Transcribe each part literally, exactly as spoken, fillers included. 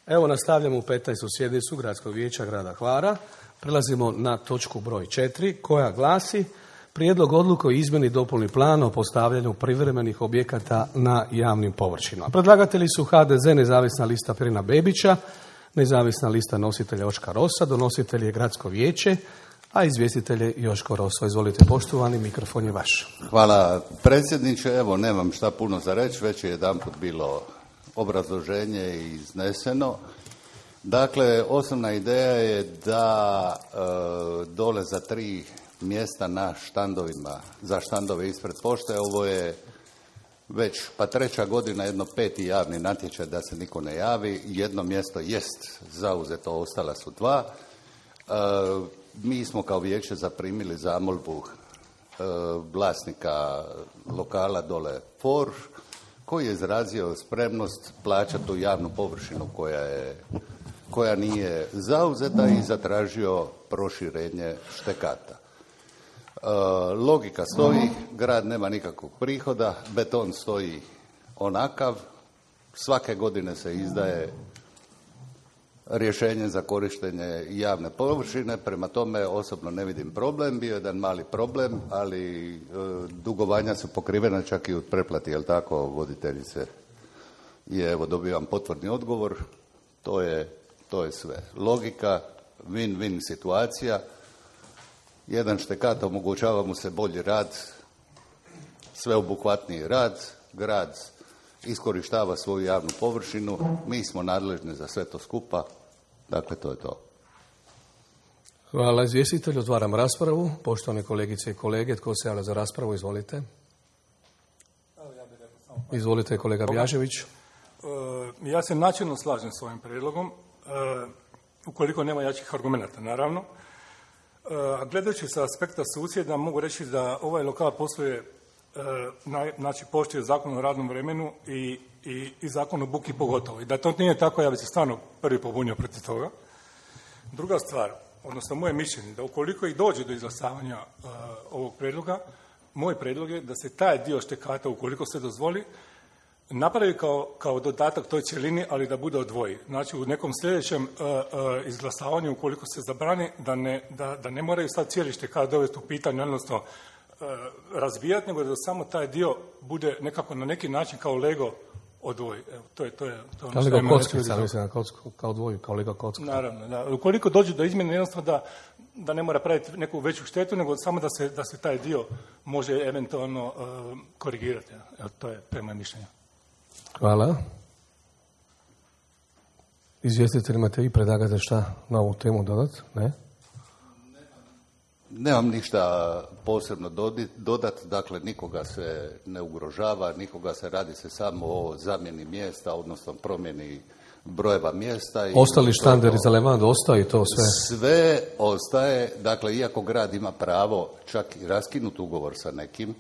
Evo nastavljamo u petnaestu sjednicu Gradskog vijeća grada Hvara. Prelazimo na točku broj četiri koja glasi Prijedlog odluke o izmjeni i dopuni plana o postavljanju privremenih objekata na javnim površinama. Predlagatelji su H D Z, nezavisna lista Perina Bebića, nezavisna lista nositelja Joška Rosa, donositelj je Gradsko vijeće, a izvjestitelj je Joško Roso. Izvolite poštovani, mikrofon je vaš. Hvala predsjedniče, evo nemam šta puno za reći, već je jedanput bilo obrazloženje izneseno. Dakle, osnovna ideja je da e, dole za tri mjesta na štandovima, za štandove ispred pošte, ovo je već pa treća godina, jedno peti javni natječaj da se niko ne javi, jedno mjesto jest zauzeto, ostala su dva. E, mi smo kao vijeće zaprimili zamolbu e, vlasnika lokala dole Forš, koji je izrazio spremnost plaćati tu javnu površinu koja je, koja nije zauzeta i zatražio proširenje štekata. E, logika stoji, grad nema nikakvog prihoda, beton stoji onakav, svake godine se izdaje rješenje za korištenje javne površine, prema tome osobno ne vidim problem, bio je jedan mali problem, ali e, dugovanja su pokrivena čak i od pretplati, jel tako, voditeljice? I evo dobivam potvrdni odgovor, to je, to je sve. Logika, win-win situacija, jedan štekat omogućava mu se bolji rad, sveobuhvatniji rad, grad iskorištava svoju javnu površinu, mi smo nadležni za sve to skupa, dakle to je to. Hvala izvjestitelju, otvaram raspravu. Poštovane kolegice i kolege, tko se javlja za raspravu, izvolite. Izvolite kolega Bjažević. Ja se načelno slažem s ovim prijedlogom, ukoliko nema jačih argumenata, naravno. A gledajući sa aspekta susjeda, mogu reći da ovaj lokal posluje, znači poštuje zakon o radnom vremenu i, i, i zakon o buki pogotovo. I da to nije tako, ja bi se stvarno prvi pobunio protiv toga. Druga stvar, odnosno moje mišljenje, da ukoliko i dođe do izglasavanja uh, ovog prijedloga, moj prijedlog je da se taj dio štekata, ukoliko se dozvoli, napravi kao, kao dodatak toj cjelini, ali da bude odvoji. Znači u nekom sljedećem uh, uh, izglasavanju, ukoliko se zabrani, da ne, da, da ne moraju sad cijeli štekat dovesti u pitanje, odnosno razbijati, nego da samo taj dio bude nekako na neki način kao Lego odvoji. Evo, to je to je to ono što je kockica, mislim, kao odvoji, kao Lego kocka. Naravno, da. Ukoliko dođe do izmjene, jednostavno da, da ne mora praviti neku veću štetu, nego samo da se, da se taj dio može eventualno uh, korigirati. Evo, to je prema mišljenju. Hvala. Izvjestitelj, imate i predlagate šta na ovu temu dodati? Ne? Nemam ništa posebno dodati, dakle nikoga se ne ugrožava, nikoga se radi se samo o zamjeni mjesta, odnosno promjeni brojeva mjesta. I ostali štanderi za Levand, ostaje to sve? Sve ostaje, dakle iako grad ima pravo čak i raskinuti ugovor sa nekim,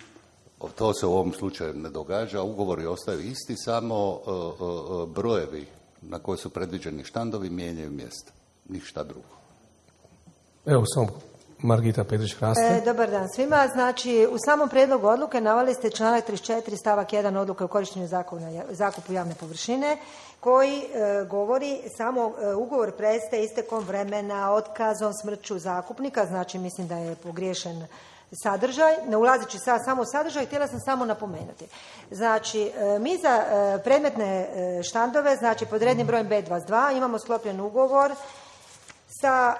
to se u ovom slučaju ne događa, ugovori ostaju isti, samo uh, uh, brojevi na koji su predviđeni štandovi mijenjaju mjesta, ništa drugo. Evo samo Margita Petrić-Hraste. E, dobar dan svima. Znači, u samom prijedlogu odluke naveli ste članak trideset četiri stavak jedan odluke o korištenju zakona, zakupu javne površine, koji e, govori samo e, ugovor prestaje istekom vremena, otkazom, smrću zakupnika, znači mislim da je pogriješen sadržaj. Ne ulazeći sad samo u sadržaj, htjela sam samo napomenuti. Znači, e, mi za e, predmetne e, štandove, znači pod rednim brojem B dvadeset dva imamo sklopljen ugovor sa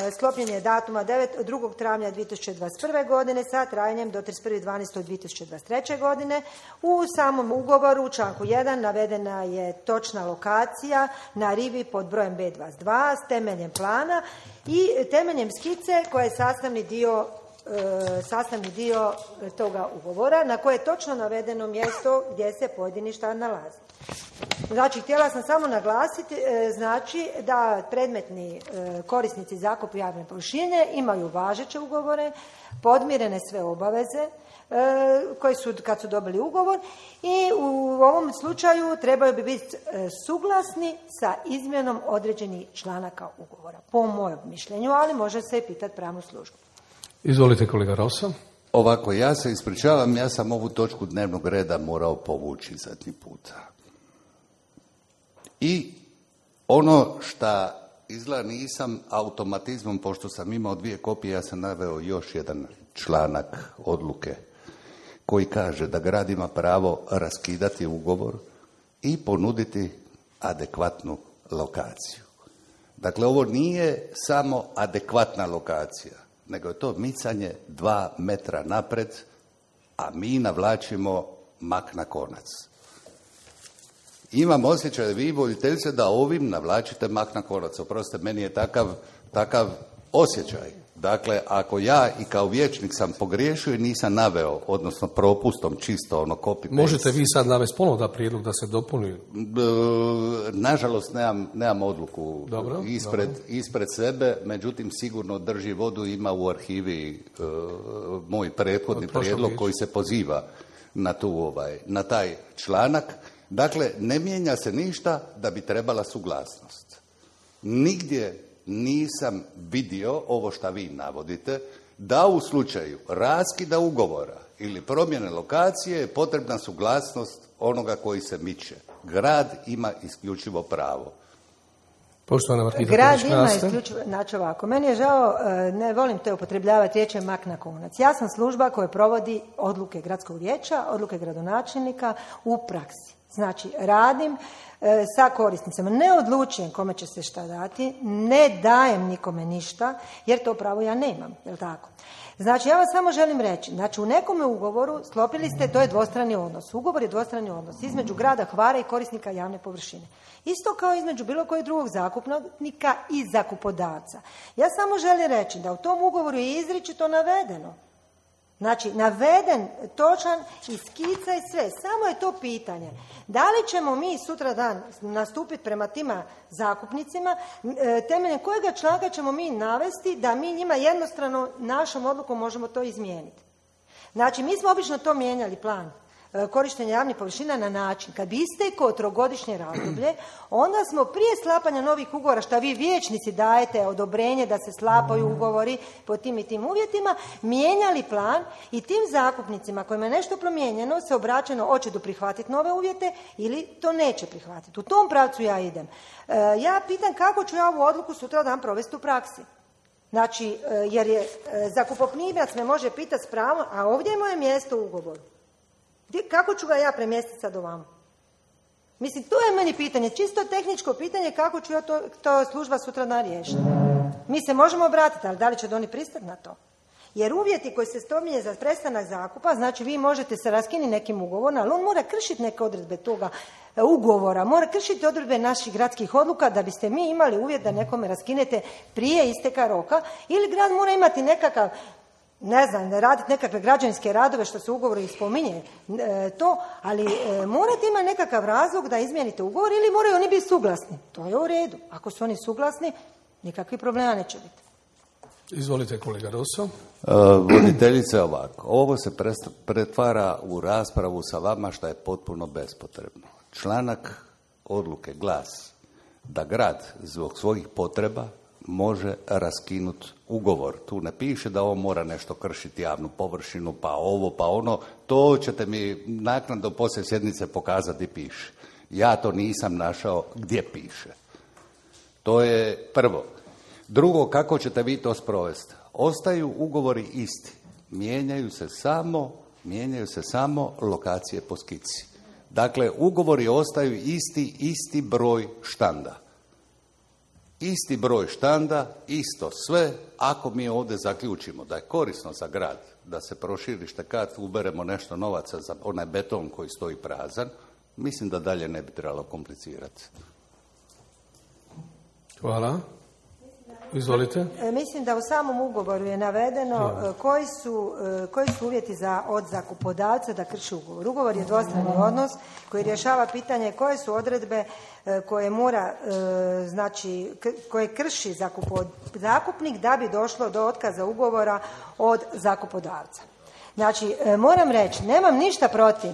e, sklopljenje datuma drugog travnja dvije tisuće dvadeset prve. godine sa trajanjem do trideset prvi dvanaesti dvije tisuće dvadeset treće. godine. U samom ugovoru u članku jedan navedena je točna lokacija na rivi pod brojem B dvadeset dva s temeljem plana i temeljem skice koja je sastavni dio e, sastavni dio toga ugovora na koje je točno navedeno mjesto gdje se pojedini štand nalazi. Znači, htjela sam samo naglasiti, znači da predmetni korisnici zakupa javne površine imaju važeće ugovore, podmirene sve obaveze koje su kad su dobili ugovor i u ovom slučaju trebaju bi biti suglasni sa izmjenom određenih članaka ugovora, po mojem mišljenju, ali može se i pitati pravnu službu. Izvolite kolega Rosa. Ovako, ja se ispričavam, ja sam ovu točku dnevnog reda morao povući zadnji puta. I Ono što izgleda nisam automatizmom, pošto sam imao dvije kopije, ja sam naveo još jedan članak odluke koji kaže da grad ima pravo raskidati ugovor i ponuditi adekvatnu lokaciju. Dakle, ovo nije samo adekvatna lokacija, nego je to micanje dva metra napred, a mi navlačimo mak na konac. Imam osjećaj, vi voditeljice, da ovim navlačite mak na konac. Oprostite, meni je takav, takav osjećaj. Dakle, ako ja i kao vijećnik sam pogriješio i nisam naveo, odnosno propustom čisto ono copy paste. Možete vi sad navesti ponovno da prijedlog da se dopuni? Nažalost, nemam, nemam odluku dobro, ispred, dobro. ispred sebe, međutim sigurno drži vodu, ima u arhivi uh, moj prethodni prijedlog koji se poziva na, tu, ovaj, na taj članak. Dakle, ne mijenja se ništa da bi trebala suglasnost. Nigdje nisam vidio ovo što vi navodite, da u slučaju raskida ugovora ili promjene lokacije je potrebna suglasnost onoga koji se miče. Grad ima isključivo pravo. Poštovana Margita Grad ima isključivo, znači ovako, meni je žao, ne volim te upotrebljavati riječi mak na konac. Ja sam služba koja provodi odluke gradskog vijeća, odluke gradonačelnika u praksi. Znači, radim e, sa korisnicama. Ne odlučujem kome će se šta dati, ne dajem nikome ništa, jer to pravo ja nemam, je li tako? Znači, ja vam samo želim reći, znači u nekome ugovoru sklopili ste, to je dvostrani odnos. Ugovor je dvostrani odnos između grada Hvara i korisnika javne površine. Isto kao između bilo kojeg drugog zakupnika i zakupodavca. Ja samo želim reći da u tom ugovoru je izričito navedeno. Znači, naveden, točan i skica i sve. Samo je to pitanje. Da li ćemo mi sutra dan nastupiti prema tima zakupnicima, temeljem kojega članka ćemo mi navesti da mi njima jednostrano našom odlukom možemo to izmijeniti. Znači, mi smo obično to mijenjali plan korištenja javnih površina na način kad bi isteklo trogodišnje razdoblje, onda smo prije sklapanja novih ugovora, što vi vijećnici dajete odobrenje da se sklapaju ugovori po tim i tim uvjetima, mijenjali plan i tim zakupnicima kojima je nešto promijenjeno se obraćeno hoće do prihvatiti nove uvjete ili to neće prihvatiti. U tom pravcu ja idem. E, ja pitam kako ću ja ovu odluku sutra dan provesti u praksi. Znači, e, jer je e, zakupoprimac me može pitati s pravom, a ovdje je moje mjesto u ugovoru. Kako ću ga ja premjestiti sad ovamo? Mislim, to je meni pitanje, čisto tehničko pitanje kako ću ja to, to služba sutra dan riješiti. Mi se možemo obratiti, ali da li će oni pristati na to? Jer uvjeti koji se spominje za prestanak zakupa, znači vi možete se raskinuti nekim ugovorom, ali on mora kršiti neke odredbe toga ugovora, mora kršiti odredbe naših gradskih odluka da biste mi imali uvjet da nekome raskinete prije isteka roka, ili grad mora imati nekakav, ne znam, raditi nekakve građevinske radove što se u ugovoru i spominje e, to, ali e, morate imati nekakav razlog da izmijenite ugovor ili moraju oni biti suglasni. To je u redu. Ako su oni suglasni, nikakvih problema neće biti. Izvolite, kolega Rosso. Uh, voditeljice, ovako. Ovo se pretvara u raspravu sa vama što je potpuno bespotrebno. Članak odluke glasi da grad zbog svojih potreba može raskinuti ugovor. Tu ne piše da on mora nešto kršiti javnu površinu, pa ovo, pa ono. To ćete mi naknadno poslije sjednice pokazati piše. Ja to nisam našao gdje piše. To je prvo. Drugo, kako ćete vi to sprovesti? Ostaju ugovori isti. Mijenjaju se samo, mijenjaju se samo lokacije po skici. Dakle, ugovori ostaju isti, isti broj štanda. Isti broj štanda, isto sve, ako mi ovdje zaključimo da je korisno za grad da se proširi štekat, uberemo nešto novaca za onaj beton koji stoji prazan, mislim da dalje ne bi trebalo komplicirati. Hvala. Izvolite. Mislim da u samom ugovoru je navedeno koji su, koji su uvjeti za, od zakupodavca da krši ugovor. Ugovor je dvostrani odnos koji rješava pitanje koje su odredbe koje mora, znači, koje krši zakupod, zakupnik da bi došlo do otkaza ugovora od zakupodavca. Znači, moram reći, nemam ništa protiv,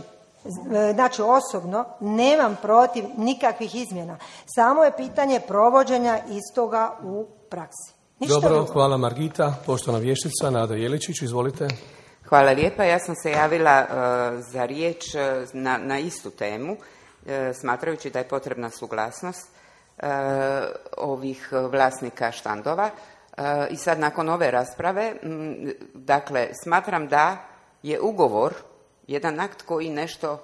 znači osobno nemam protiv nikakvih izmjena. Samo je pitanje provođenja istoga u praksi. Ništa Dobro, drugo. hvala Margita. Poštovana vještica Nada Jeličić, izvolite. Hvala lijepa. Ja sam se javila uh, za riječ uh, na, na istu temu, uh, smatrajući da je potrebna suglasnost. e, ovih vlasnika štandova. E, I sad nakon ove rasprave, m, dakle, smatram da je ugovor jedan akt koji nešto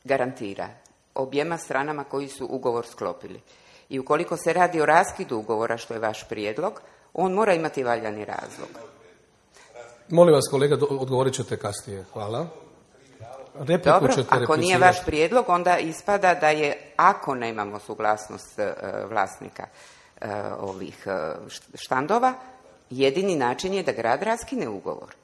garantira objema stranama koji su ugovor sklopili. I ukoliko se radi o raskidu ugovora, što je vaš prijedlog, on mora imati valjani razlog. Molim vas, kolega, odgovorit ćete kasnije. Hvala. Repliku Dobro, ćete ako nije vaš prijedlog, onda ispada da je, ako nemamo suglasnost e, vlasnika e, ovih e, štandova, jedini način je da grad raskine ugovor.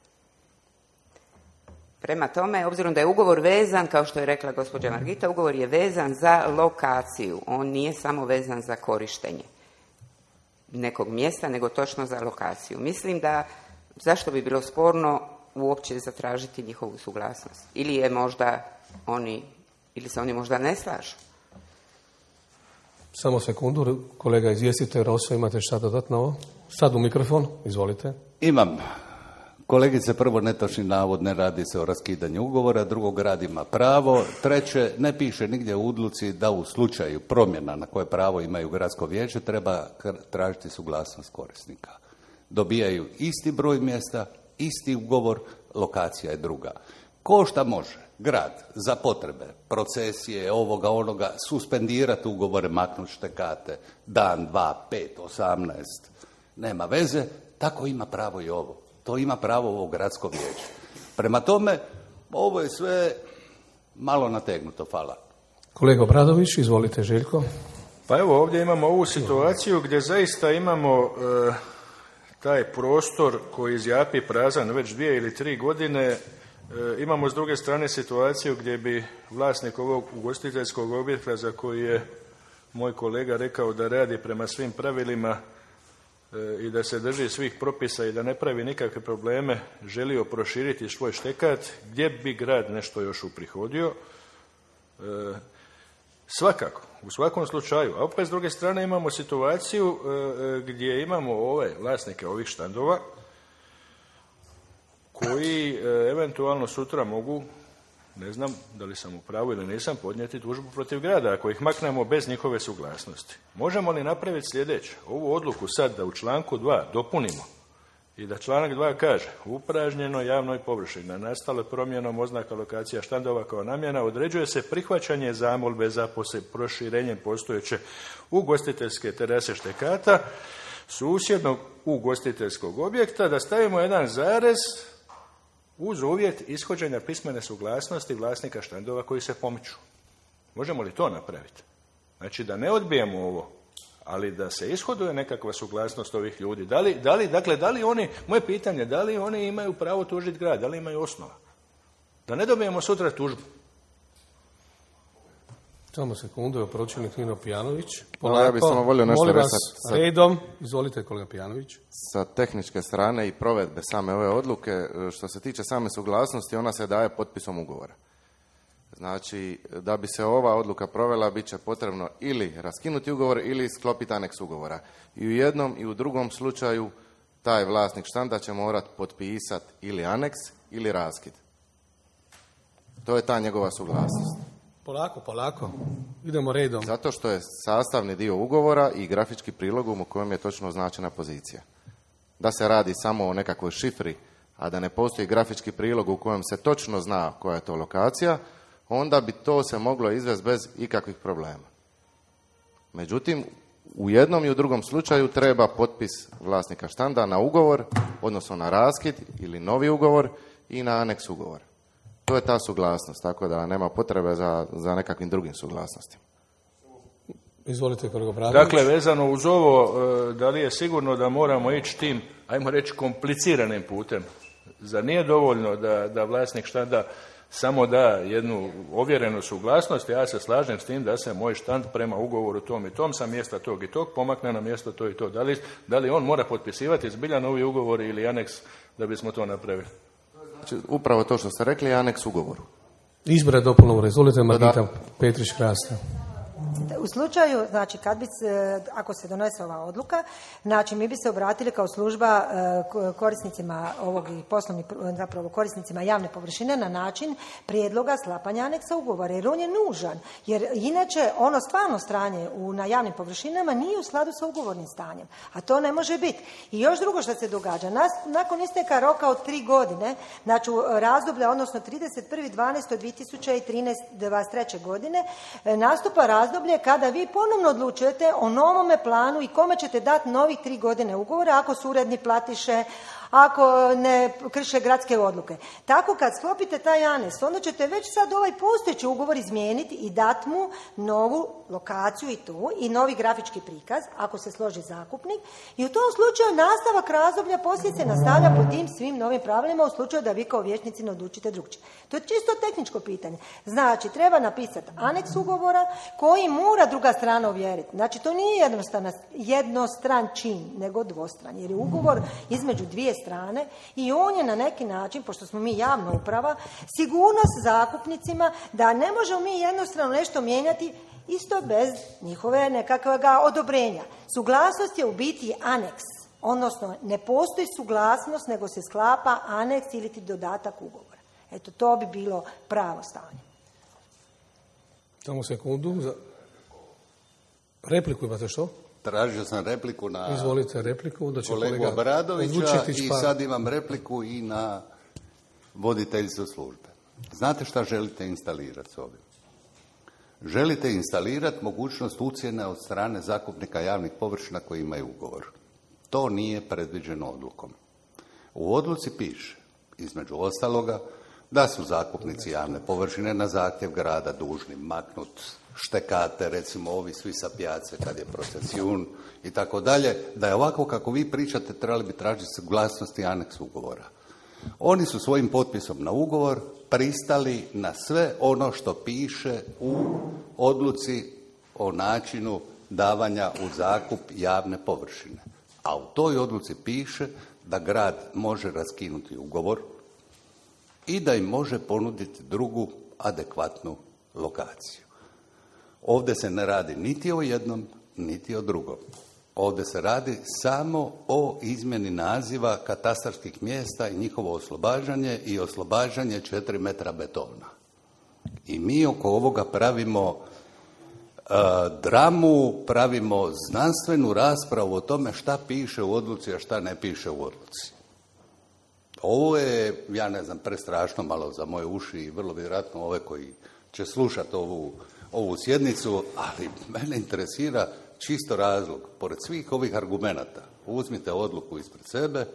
Prema tome, obzirom da je ugovor vezan, kao što je rekla gospođa Margita, ugovor je vezan za lokaciju. On nije samo vezan za korištenje nekog mjesta, nego točno za lokaciju. Mislim da, zašto bi bilo sporno uopće zatražiti njihovu suglasnost? Ili je možda oni, ili se oni možda ne slažu? Samo sekundu, kolega, izvijestite Roso, imate šta dodatno ovo? Sad u mikrofon, izvolite. Imam. Kolegice, prvo netočni navod, ne radi se o raskidanju ugovora, drugo, grad ima pravo, treće, ne piše nigdje u odluci da u slučaju promjena na koje pravo imaju gradsko vijeće treba tražiti suglasnost korisnika. Dobijaju isti broj mjesta, isti ugovor, lokacija je druga. Ko šta može grad za potrebe procesije, ovoga, onoga, suspendirati ugovore, maknuti štekate, dan, dva, pet, osamnaest, nema veze, tako ima pravo i ovo. To ima pravo ovo gradsko vijeće. Prema tome, ovo je sve malo nategnuto, hvala. Kolega Obradović, izvolite, Željko. Pa evo, ovdje imamo ovu situaciju gdje zaista imamo e, taj prostor koji zjapi prazan već dvije ili tri godine. E, imamo s druge strane situaciju gdje bi vlasnik ovog ugostiteljskog objekta, za koji je moj kolega rekao da radi prema svim pravilima i da se drži svih propisa i da ne pravi nikakve probleme, želio proširiti svoj štekat, gdje bi grad nešto još uprihodio. E, svakako, u svakom slučaju. A opet s druge strane imamo situaciju e, gdje imamo ove vlasnike ovih štandova koji e, eventualno sutra mogu, ne znam da li sam u pravu ili nisam, podnijeti tužbu protiv grada ako ih maknemo bez njihove suglasnosti. Možemo li napraviti sljedeće? Ovu odluku sad da u članku dva dopunimo i da članak dva kaže: upražnjeno javnoj površini nastalo promjenom oznaka lokacija štandova kao namjena određuje se prihvaćanje zamolbe za proširenjem postojeće ugostiteljske terase štekata susjednog ugostiteljskog objekta, da stavimo jedan zarez uz uvjet ishođenja pismene suglasnosti vlasnika štandova koji se pomiču. Možemo li to napraviti? Znači da ne odbijemo ovo, ali da se ishoduje nekakva suglasnost ovih ljudi. Da li, da li, dakle, da li oni, moje pitanje, da li oni imaju pravo tužiti grad, da li imaju osnova? Da ne dobijemo sutra tužbu. Samo sekundu, pročelnik Nino Pijanović. No, ja bih samo volio nešto molim reći vas, sa, redom, izvolite kolega Pijanović. sa tehničke strane i provedbe same ove odluke. Što se tiče same suglasnosti, ona se daje potpisom ugovora. Znači, da bi se ova odluka provela, bit će potrebno ili raskinuti ugovor ili sklopiti aneks ugovora. I u jednom i u drugom slučaju taj vlasnik štanda će morati potpisati ili aneks ili raskid. To je ta njegova suglasnost. Polako, polako. Idemo redom. Zato što je sastavni dio ugovora i grafički prilog u kojem je točno označena pozicija. Da se radi samo o nekakvoj šifri, a da ne postoji grafički prilog u kojem se točno zna koja je to lokacija, onda bi to se moglo izvesti bez ikakvih problema. Međutim, u jednom i u drugom slučaju treba potpis vlasnika štanda na ugovor, odnosno na raskid ili novi ugovor i na aneks ugovora. To je ta suglasnost, tako da nema potrebe za, za nekakvim drugim suglasnostima. Izvolite, kolega Obradović. Dakle, vezano uz ovo, da li je sigurno da moramo ići tim, ajmo reći, kompliciranim putem? Zar nije dovoljno da, da vlasnik štanda samo da jednu ovjerenu suglasnost? Ja se slažem s tim da se moj štand prema ugovoru tom i tom sa mjesta tog i tog pomakne na mjesto to i to. Da li, da li on mora potpisivati zbilja novi ugovor ili aneks da bismo to napravili? Znači, upravo to što ste rekli je aneks ugovoru. Izbore dopolno, izvolite, Margita Petrić-Krasta. U slučaju, znači, kad bi se, ako se donese ova odluka, znači, mi bi se obratili kao služba korisnicima ovog i poslovnih, zapravo korisnicima javne površine na način prijedloga sklapanja aneksa ugovora, jer on je nužan, jer inače ono stvarno stanje u, na javnim površinama nije u skladu sa ugovornim stanjem, a to ne može biti. I još drugo što se događa, nas, nakon isteka roka od tri godine, znači razdoblja, odnosno trideset prvi dvanaesti dvije tisuće dvadeset treće. godine, nastupa razdoblje kada vi ponovno odlučujete o novome planu i kome ćete dati novih tri godine ugovora ako su uredni platiše, ako ne krše gradske odluke. Tako kad sklopite taj aneks, onda ćete već sad ovaj postojeći ugovor izmijeniti i dati mu novu lokaciju i tu, i novi grafički prikaz, ako se složi zakupnik, i u tom slučaju nastavak razdoblja poslije se nastavlja po tim svim novim pravilima u slučaju da vi kao vijećnici ne odlučite drugčije. To je čisto tehničko pitanje. Znači, treba napisati aneks ugovora koji mora druga strana ovjeriti. Znači, to nije jednostran, jednostran čin, nego dvostran, jer je ugovor između dvije strane i on je na neki način, pošto smo mi javna uprava, sigurnost zakupnicima da ne možemo mi jednostrano nešto mijenjati isto bez njihove nekakvog odobrenja. Suglasnost je u biti aneks, odnosno ne postoji suglasnost, nego se sklapa aneks ili ti dodatak ugovora. Eto, to bi bilo pravo stanje. Samo sekundu. Za... Repliku imate što? Tražio sam repliku na Izvolite repliku, da će kolegu kolega Obradovića i pa... sad imam repliku i na voditeljstvo službe. Znate šta želite instalirati s ovim? Želite instalirati mogućnost ucjene od strane zakupnika javnih površina koji imaju ugovor. To nije predviđeno odlukom. U odluci piše, između ostaloga, da su zakupnici javne površine na zahtjev grada dužni maknut štekate, recimo ovi svi sa pijace kad je procesijun i tako dalje, da je ovako kako vi pričate trebali bi tražiti suglasnost i aneks ugovora. Oni su svojim potpisom na ugovor pristali na sve ono što piše u odluci o načinu davanja u zakup javne površine. A u toj odluci piše da grad može raskinuti ugovor i da im može ponuditi drugu adekvatnu lokaciju. Ovdje se ne radi niti o jednom, niti o drugom. Ovdje se radi samo o izmjeni naziva katastarskih mjesta i njihovo oslobađanje i oslobađanje četiri metra betona. I mi oko ovoga pravimo uh, dramu, pravimo znanstvenu raspravu o tome šta piše u odluci, a šta ne piše u odluci. Ovo je, ja ne znam, prestrašno malo za moje uši i vrlo vjerojatno ove koji će slušati ovu, ovu sjednicu, ali mene interesira čisto razlog. Pored svih ovih argumenata, uzmite odluku ispred sebe,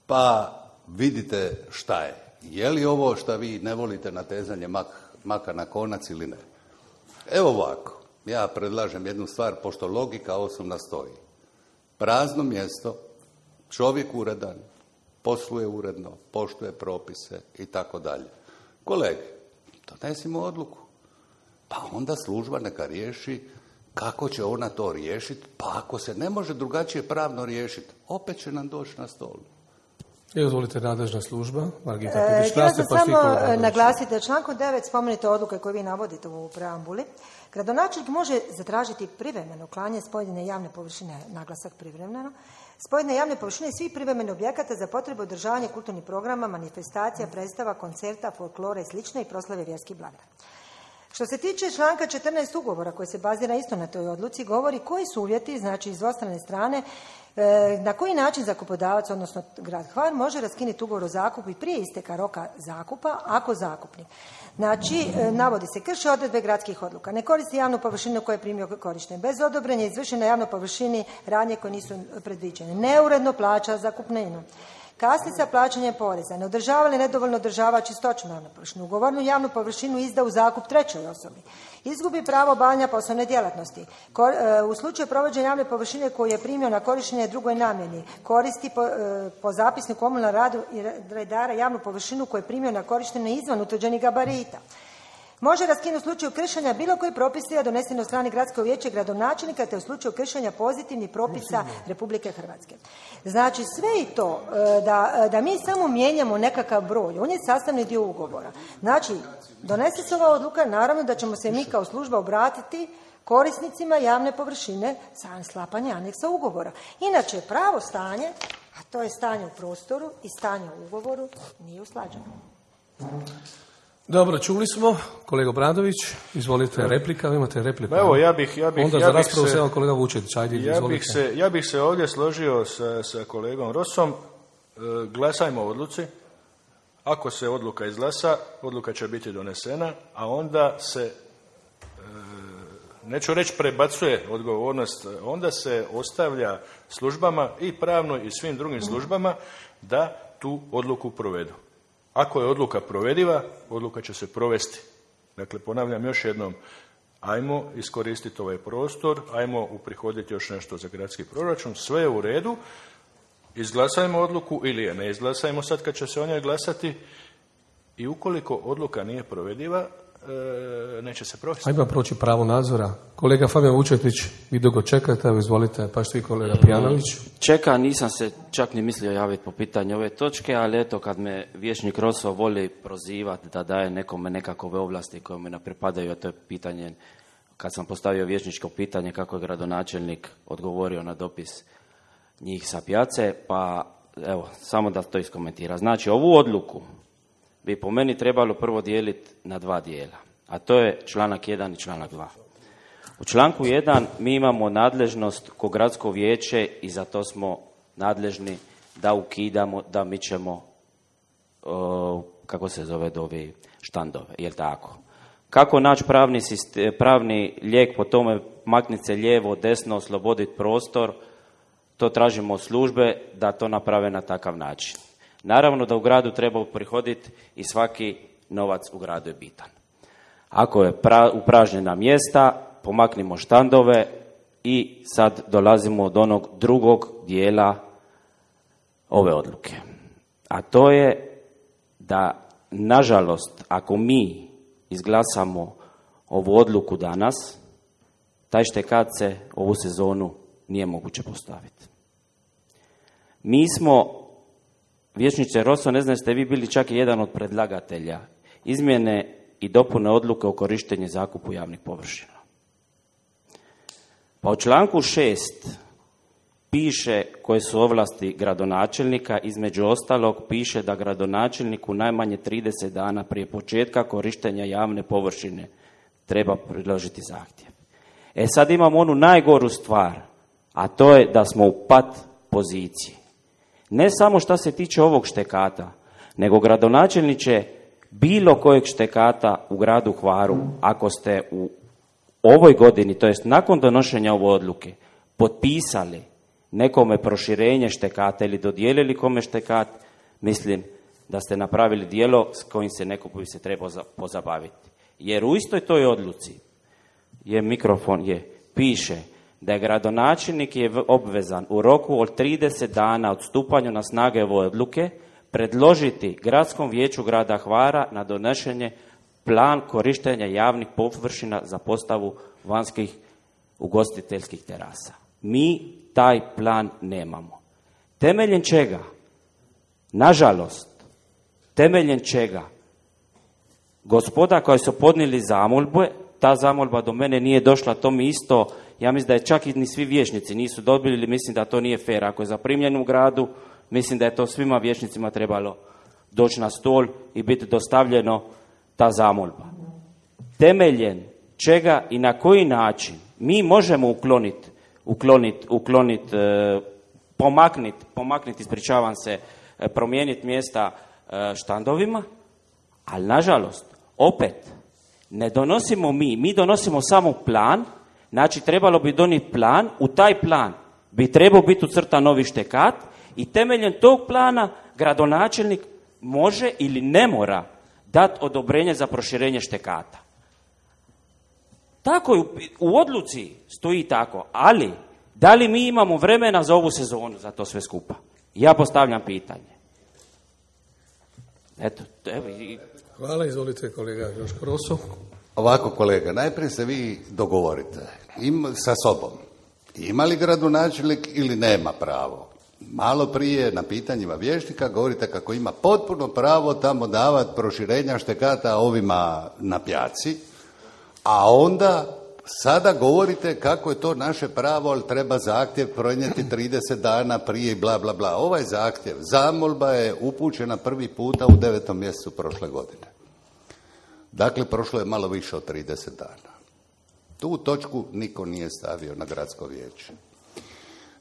pa vidite šta je. Je li ovo šta vi ne volite natezanje mak, maka na konac ili ne? Evo ovako, ja predlažem jednu stvar, pošto logika osnovna stoji. Prazno mjesto, čovjek uredan, posluje uredno, poštuje propise i tako dalje. Kolege, donesimo odluku. Pa onda služba neka riješi kako će ona to riješiti, pa ako se ne može drugačije pravno riješiti, opet će nam doći na stol. Izvolite, nadležna služba, Margita E, Pipić. htjela sam samo naglasiti da člankom devet spomenute odluke koje vi navodite u preambuli, gradonačelnik može zatražiti privremeno uklanjanje s pojedine javne površine, naglasak privremeno, s pojedine javne površine svih privremenih objekata za potrebu održavanja kulturnih programa, manifestacija, predstava, koncerta, folklora i slično i proslave vjerskih blagdana. Što se tiče članka četrnaest ugovora koji se bazira isto na toj odluci, govori koji su uvjeti, znači iz dvostrane strane, na koji način zakupodavac, odnosno grad Hvar, može raskinuti ugovor o zakupu i prije isteka roka zakupa ako zakupnik. Znači, navodi se, krši odredbe gradskih odluka, ne koristi javnu površinu koju je primio korištenje, bez odobrenja izvrši na javnoj površini radnje koje nisu predviđene, neuredno plaća zakupninu, kasni sa plaćanjem poreza, ne održava ili nedovoljno održava čistoću javne površine, ugovornu javnu površinu izda u zakup trećoj osobi, izgubi pravo obavljanja poslovne djelatnosti, u slučaju provođenja javne površine koju je primio na korištenje drugoj namjeni, koristi po, po zapisniku komunalnog radu i redara javnu površinu koju je primio na korištenje izvan utvrđenih gabarita. Može raskinuti u slučaju kršenja bilo koji propisa doneseni od strane gradskog vijeća i gradonačelnika te u slučaju kršenja pozitivnih propisa Republike Hrvatske. Znači sve i to da, da mi samo mijenjamo nekakav broj, on je sastavni dio ugovora. Znači donese se ova odluka, naravno da ćemo se mi kao služba obratiti korisnicima javne površine za sklapanje aneksa ugovora. Inače, pravo stanje, a to je stanje u prostoru i stanje u ugovoru, nije usklađeno. Dobro, čuli smo. Kolega Bradović, izvolite, replika, vi imate repliku. Evo, ja bih, ja bih, Onda ja za bih raspravu se, se, evo kolega Vučetić, ajde, ja izvolite. bih se, ja bih se ovdje složio sa, sa kolegom Rosom. E, glasajmo o odluci. Ako se odluka izglasa, odluka će biti donesena, a onda se, e, neću reći prebacuje odgovornost, onda se ostavlja službama i pravnoj i svim drugim službama da tu odluku provedu. Ako je odluka provediva, odluka će se provesti. Dakle, ponavljam još jednom, ajmo iskoristiti ovaj prostor, ajmo uprihoditi još nešto za gradski proračun, sve je u redu, izglasajmo odluku ili je ne izglasajmo sad kad će se o njoj glasati i ukoliko odluka nije provediva, e, neće se provesti. Ajmo proći pravo nadzora. Kolega Fabijan Vučetić, vi dugo čekate, evo izvolite, pa što i kolega Pijanović. Čeka, nisam se čak ni mislio javiti po pitanju ove točke, ali eto kad me vijećnik Roso voli prozivati da daje nekome nekakve ovlasti koje me ne pripadaju, a to je pitanje, kad sam postavio vijećničko pitanje kako je gradonačelnik odgovorio na dopis njih sa pijace, pa evo, samo da to iskomentira. Znači, ovu odluku bi po meni trebalo prvo dijeliti na dva dijela, a to je članak jedan i članak dva. U članku jedan mi imamo nadležnost ko gradsko vijeće i za to smo nadležni da ukidamo, da mičemo, uh, kako se zove, dovi štandove, jel tako? Kako naći pravni, sistem, pravni lijek po tome, makniti se lijevo, desno, osloboditi prostor, to tražimo od službe da to naprave na takav način. Naravno da u gradu treba uprihoditi i svaki novac u gradu je bitan. Ako je pra, upražnjena mjesta, pomaknimo štandove i sad dolazimo do onog drugog dijela ove odluke. A to je da, nažalost, ako mi izglasamo ovu odluku danas, taj štekat se ovu sezonu nije moguće postaviti. Mi smo, vijećniče Roso, ne znam ste vi bili čak i jedan od predlagatelja izmjene i dopune odluke o korištenju zakupu javnih površina. Pa u članku šest piše koje su ovlasti gradonačelnika, između ostalog piše da gradonačelniku najmanje trideset dana prije početka korištenja javne površine treba priložiti zahtjev. E sad imamo onu najgoru stvar, a to je da smo u pat poziciji. Ne samo što se tiče ovog štekata, nego gradonačelniče bilo kojeg štekata u gradu Hvaru, ako ste u ovoj godini, to jest nakon donošenja ove odluke, potpisali nekome proširenje štekata ili dodijelili kome štekat, mislim da ste napravili djelo s kojim se neko bi se trebao pozabaviti. Jer u istoj toj odluci je mikrofon, je, piše da je gradonačelnik je obvezan u roku od trideset dana od stupanja na snage ove odluke predložiti gradskom vijeću grada Hvara na donošenje plan korištenja javnih površina za postavu vanjskih ugostiteljskih terasa. Mi taj plan nemamo. Temeljem čega? Nažalost, temeljem čega? Gospoda koji su podnijeli zamolbe, ta zamolba do mene nije došla, to mi isto, ja mislim da je čak i ni svi vijećnici nisu dobili, mislim da to nije fer. Ako je zaprimljen u gradu, mislim da je to svima vijećnicima trebalo doći na stol i biti dostavljeno ta zamolba. Temeljem čega i na koji način mi možemo ukloniti, ukloniti, ukloniti, e, pomakniti, pomakniti, ispričavam se, e, promijeniti mjesta e, štandovima, ali nažalost, opet, ne donosimo mi, mi donosimo samo plan, znači trebalo bi donijeti plan, u taj plan bi trebao biti ucrtan novi štekat i temeljem tog plana gradonačelnik može ili ne mora dati odobrenje za proširenje štekata. Tako je, u odluci stoji tako, ali da li mi imamo vremena za ovu sezonu, za to sve skupa? Ja postavljam pitanje. Eto, evo i... Hvala, izvolite kolega Joško Roso. Ovako kolega, najprije se vi dogovorite Im, sa sobom. Ima li gradonačelnik ili nema pravo? Malo prije na pitanjima vijećnika govorite kako ima potpuno pravo tamo davati proširenja štekata ovima na pjaci, a onda Sada govorite kako je to naše pravo, ali treba zahtjev pronijeti trideset dana prije i bla, bla, bla. Ovaj zahtjev, zamolba je upućena prvi puta u devetom mjesecu prošle godine. Dakle, prošlo je malo više od trideset dana. Tu točku niko nije stavio na gradsko vijeće.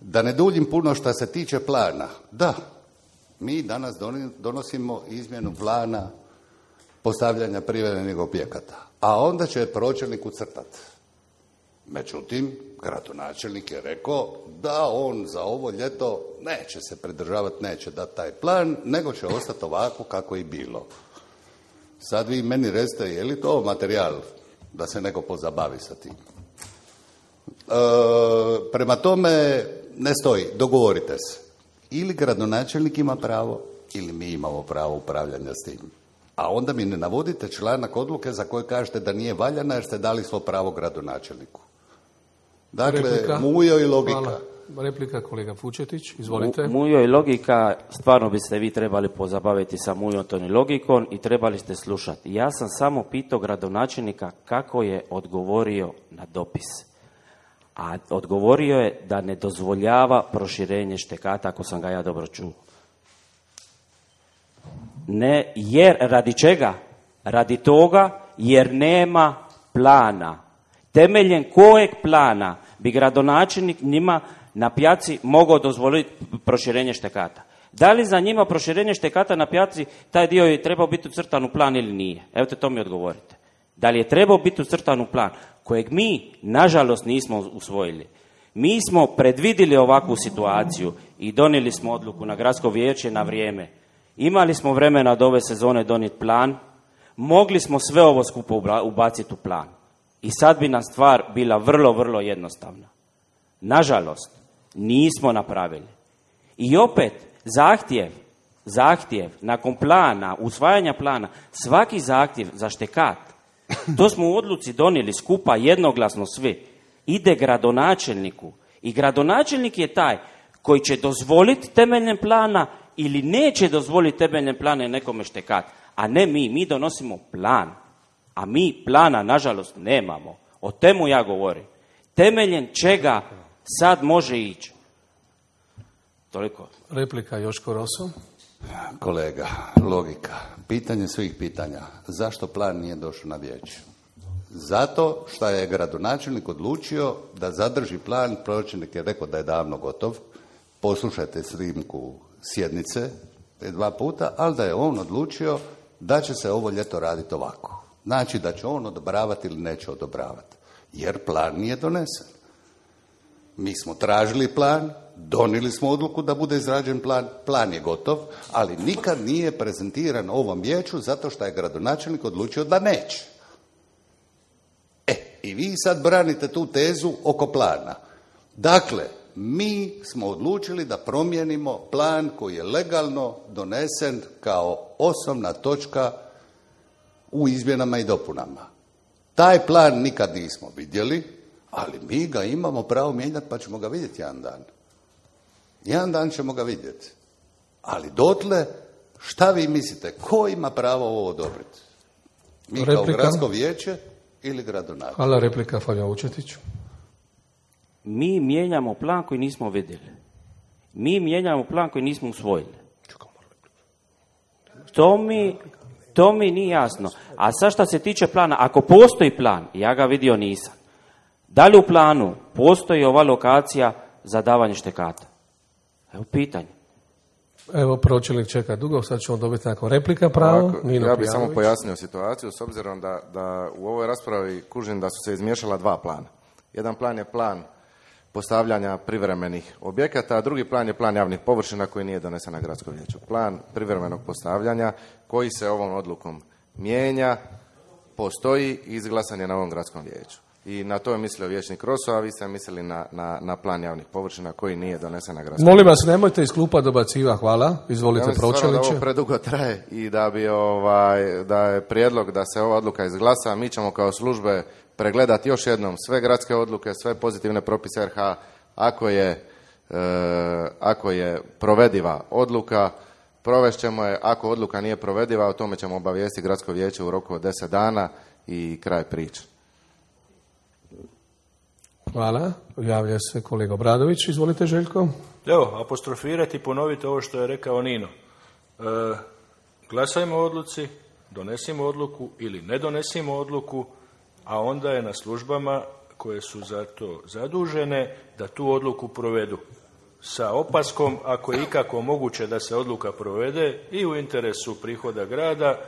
Da ne duljim puno što se tiče plana. Da, mi danas donosimo izmjenu plana postavljanja privremenih objekata, a onda će pročelnik ucrtati. Međutim, gradonačelnik je rekao da on za ovo ljeto neće se pridržavati, neće dati taj plan, nego će ostati ovako kako je bilo. Sad vi meni recite, je li to materijal da se neko pozabavi sa tim? E, prema tome, ne stoji, dogovorite se. Ili gradonačelnik ima pravo, ili mi imamo pravo upravljanja s tim. A onda mi ne navodite članak odluke za koje kažete da nije valjana jer ste dali svo pravo gradonačelniku. Dakle, replika. Mujo i logika. Hvala. Replika kolega Fučetić, izvolite. Mujo i logika, stvarno biste vi trebali pozabaviti sa mujotom i logikom i trebali ste slušati. Ja sam samo pitao gradonačelnika kako je odgovorio na dopis. A odgovorio je da ne dozvoljava proširenje štekata, ako sam ga ja dobro čuo. Ne, jer radi čega? Radi toga jer nema plana. Temeljem kojeg plana bi gradonačelnik njima na pijaci mogao dozvoliti proširenje štekata? Da li za njima proširenje štekata na pijaci taj dio je trebao biti ucrtan u plan ili nije? Evo te to mi odgovorite. Da li je trebao biti ucrtan u plan kojeg mi, nažalost, nismo usvojili? Mi smo predvidili ovakvu situaciju i donijeli smo odluku na gradsko vijeće na vrijeme. Imali smo vremena od ove sezone donijeti plan, mogli smo sve ovo skupo ubaciti u plan. I sad bi nam stvar bila vrlo, vrlo jednostavna. Nažalost, nismo napravili. I opet, zahtjev, zahtjev, nakon plana, usvajanja plana, svaki zahtjev za štekat, to smo u odluci donijeli skupa jednoglasno svi, ide gradonačelniku. I gradonačelnik je taj koji će dozvoliti temeljem plana ili neće dozvoliti temeljem plana nekome štekat, a ne mi. Mi donosimo plan, a mi plana, nažalost, nemamo. O temu ja govorim. Temeljem čega sad može ići? Toliko. Replika Joško Roso. Kolega, logika. Pitanje svih pitanja. Zašto plan nije došao na vijeće? Zato što je gradonačelnik odlučio da zadrži plan, pročelnik je rekao da je davno gotov. Poslušajte snimku sjednice te dva puta, ali da je on odlučio da će se ovo ljeto raditi ovako. Znači da će on odobravati ili neće odobravati. Jer plan nije donesen. Mi smo tražili plan, donijeli smo odluku da bude izrađen plan, plan je gotov, ali nikad nije prezentiran ovom vijeću zato što je gradonačelnik odlučio da neće. E, i vi sad branite tu tezu oko plana. Dakle, mi smo odlučili da promijenimo plan koji je legalno donesen kao osnovna točka u izmjenama i dopunama. Taj plan nikad nismo vidjeli, ali mi ga imamo pravo mijenjati pa ćemo ga vidjeti jedan dan. Jedan dan ćemo ga vidjeti. Ali dotle, šta vi mislite, ko ima pravo ovo odobriti? Mi replika. Kao gradsko vijeće ili gradonačelnik? Hvala, replika Fabijan Vučetić. Mi mijenjamo plan koji nismo vidjeli. Mi mijenjamo plan koji nismo usvojili. To mi, to mi nije jasno. A sad što se tiče plana, ako postoji plan, ja ga vidio nisam. Da li u planu postoji ova lokacija za davanje štekata? Evo pitanje. Evo, pročelnik čeka dugo, sad ćemo dobiti nakon replika pravo. Ovako, ja bih samo pojasnio situaciju, s obzirom da, da u ovoj raspravi kužim da su se izmiješala dva plana. Jedan plan je plan postavljanja privremenih objekata, a drugi plan je plan javnih površina koji nije donesen na gradskom vijeću. Plan privremenog postavljanja koji se ovom odlukom mijenja, postoji i izglasan je na ovom gradskom vijeću. I na to je mislio vijećnik Roso, a vi ste mislili na, na, na plan javnih površina koji nije donesen na gradskom Molim vas, nemojte iz klupa dobaciva, hvala. Izvolite, ja pročelniče. Da ovo predugo traje i da bi ovaj, da je prijedlog da se ova odluka izglasa, mi ćemo kao službe pregledati još jednom sve gradske odluke, sve pozitivne propise R H, ako je, e, ako je provediva odluka, provešćemo je, ako odluka nije provediva, o tome ćemo obavijestiti gradsko vijeće u roku od deset dana i kraj priče. Hvala. Javlja se kolega Obradović. Izvolite, Željko. Evo, apostrofirati i ponoviti ovo što je rekao Nino. E, glasajmo o odluci, donesimo odluku ili ne donesimo odluku, a onda je na službama koje su za to zadužene da tu odluku provedu. Sa opaskom, ako je ikako moguće da se odluka provede i u interesu prihoda grada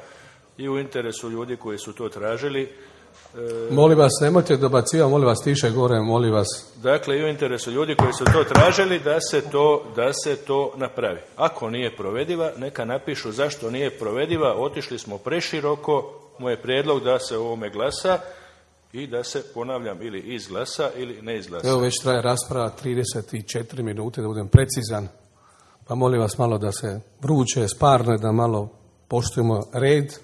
i u interesu ljudi koji su to tražili. E, molim vas, nemojte dobacivati, molim vas tiše gore, molim vas. Dakle, i u interesu ljudi koji su to tražili da se to, da se to napravi. Ako nije provediva, neka napišu zašto nije provediva, otišli smo preširoko, moj prijedlog da se o ovome glasa i da se, ponavljam, ili izglasa ili ne izglasa. Evo već traje rasprava trideset četiri minute, da budem precizan, pa molim vas malo da se vruće, sparne, da malo poštujemo red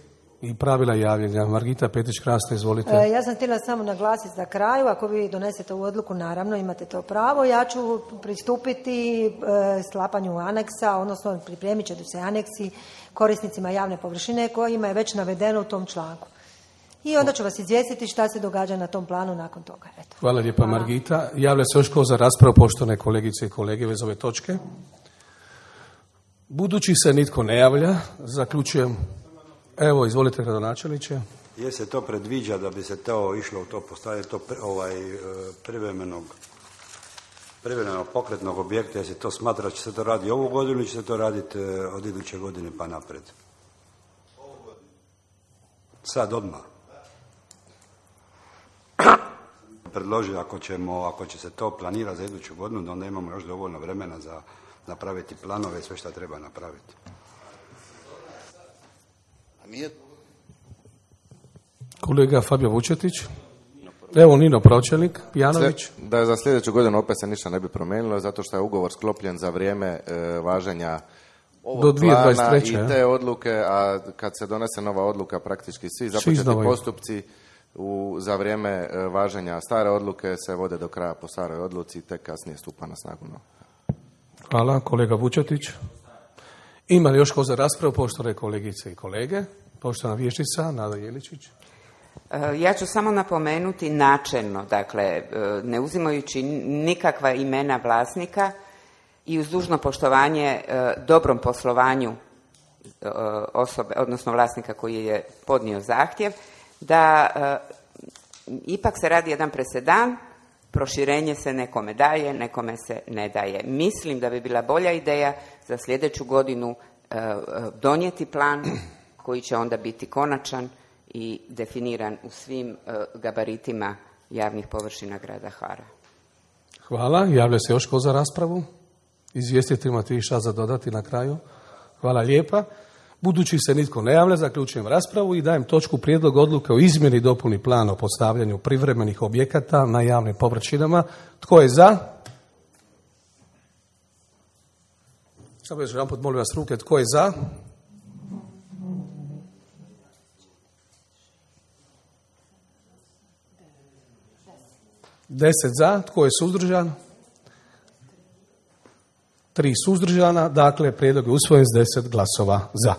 i pravila javljanja. Margita Petić-Krasna, izvolite. E, ja sam htjela samo naglasiti za kraju, ako vi donesete ovu odluku, naravno imate to pravo, ja ću pristupiti e, sklapanju aneksa, odnosno pripremit će se aneksi korisnicima javne površine kojima je već navedeno u tom članku. I onda ću vas izvijestiti šta se događa na tom planu nakon toga. Eto. Hvala lijepa, Margita. Javlja se još ko za raspravu, poštovane kolegice i kolege, vez ove točke. Budući se nitko ne javlja, zaključujem. Evo, izvolite, gradonačelniče. Je se to predviđa da bi se to išlo u to postavljanje to ovaj, privremenog privremenog pokretnog objekta, jer se to smatra da će se to raditi ovu godinu ili će se to raditi od iduće godine pa napred? Sad odmah. Predložiti ako ćemo, ako će se to planirati za iduću godinu, da onda imamo još dovoljno vremena za napraviti planove i sve što treba napraviti. Kolega Fabio Vučetić. Evo Nino Pročelnik, Janović. Da je za sljedeću godinu opet se ništa ne bi promijenilo, zato što je ugovor sklopljen za vrijeme e, važenja ovog do dvije hiljade dvadeset treće plana i te odluke, a kad se donese nova odluka, praktički svi započeti postupci u, za vrijeme e, važenja stare odluke se vode do kraja po staroj odluci i tek kasnije stupa na snagu. No. Hvala, kolega Vučetić. Ima li još ko za raspravu, poštovane kolegice i kolege? Poštovana vijećnica Nada Jeličić. Ja ću samo napomenuti načelno, dakle, ne uzimajući nikakva imena vlasnika i uz dužno poštovanje dobrom poslovanju osobe, odnosno vlasnika koji je podnio zahtjev, da ipak se radi jedan presedan, proširenje se nekome daje, nekome se ne daje. Mislim da bi bila bolja ideja za sljedeću godinu donijeti plan koji će onda biti konačan i definiran u svim uh, gabaritima javnih površina grada Hvara. Hvala. Javlja se još ko za raspravu? Izvijestite, imate šta za dodati na kraju? Hvala lijepa. Budući se nitko ne javlja, zaključujem raspravu i dajem točku prijedlog odluke o izmjeni i dopuni plana o postavljanju privremenih objekata na javnim površinama. Tko je za? Samo još jedan put molim vas ruke. Tko je za? Deset za. Tko je suzdržan? Tri suzdržana. Dakle, prijedlog je usvojen s deset glasova za.